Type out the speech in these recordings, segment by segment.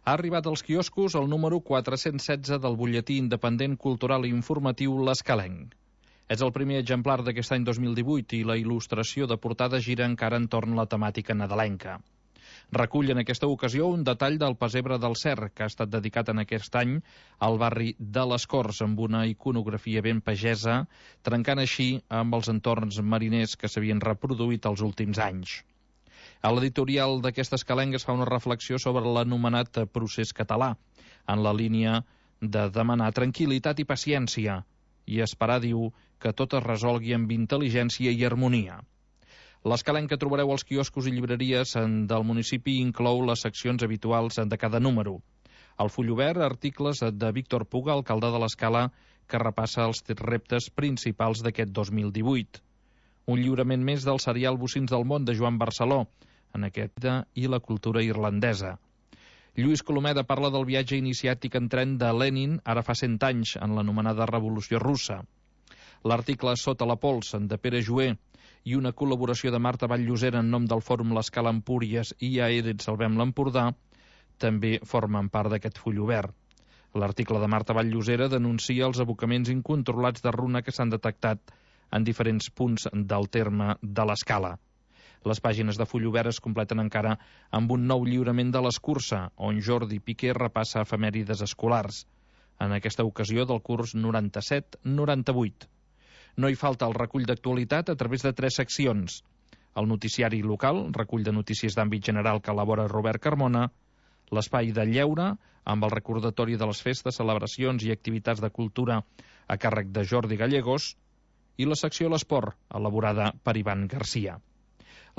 Ha arribat als quioscos el número 416 del butlletí independent cultural i informatiu L'Escalenc. És el primer exemplar d'aquest any 2018 i la il·lustració de portada gira encara entorn la temàtica nadalenca. Recull en aquesta ocasió un detall del pessebre del Cer, que ha estat dedicat en aquest any al barri de les Corts, amb una iconografia ben pagesa, trencant així amb els entorns mariners que s'havien reproduït els últims anys. A l'editorial d'aquesta Escalenc es fa una reflexió sobre l'anomenat procés català, en la línia de demanar tranquil·litat i paciència, i esperar, diu, que tot es resolgui amb intel·ligència i harmonia. L'Escalenc que trobareu als quioscos i llibreries del municipi inclou les seccions habituals de cada número. Al full obert, articles de Víctor Puga, alcalde de l'Escala, que repassa els reptes principals d'aquest 2018. Un lliurament més del serial Bocins del món de Joan Barceló, en aquesta i la cultura irlandesa. Lluís Colomeda parla del viatge iniciàtic en tren de Lenin ara fa 100 anys, en l'anomenada Revolució Russa. L'article Sota la pols, de Pere Joer, i una col·laboració de Marta Vall-llosera en nom del Fòrum L'Escala Empúries i Aedes Salvem l'Empordà també formen part d'aquest full obert. L'article de Marta Vall-llosera denuncia els abocaments incontrolats de runa que s'han detectat en diferents punts del terme de l'Escala. Les pàgines de full obert es completen encara amb un nou lliurament de l'Escurça, on Jordi Piqué repassa efemèrides escolars, en aquesta ocasió del curs 97-98. No hi falta el recull d'actualitat a través de 3 seccions. El noticiari local, recull de notícies d'àmbit general que elabora Robert Carmona, l'espai de lleure, amb el recordatori de les festes, celebracions i activitats de cultura a càrrec de Jordi Gallegos, i la secció L'Esport, elaborada per Ivan Garcia.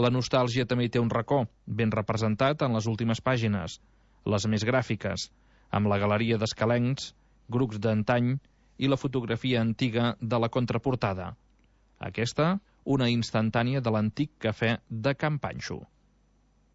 La nostàlgia també té un racó, ben representat en les últimes pàgines, les més gràfiques, amb la galeria d'escalencs, grups d'antany i la fotografia antiga de la contraportada. Aquesta, una instantània de l'antic cafè de Can Panxo.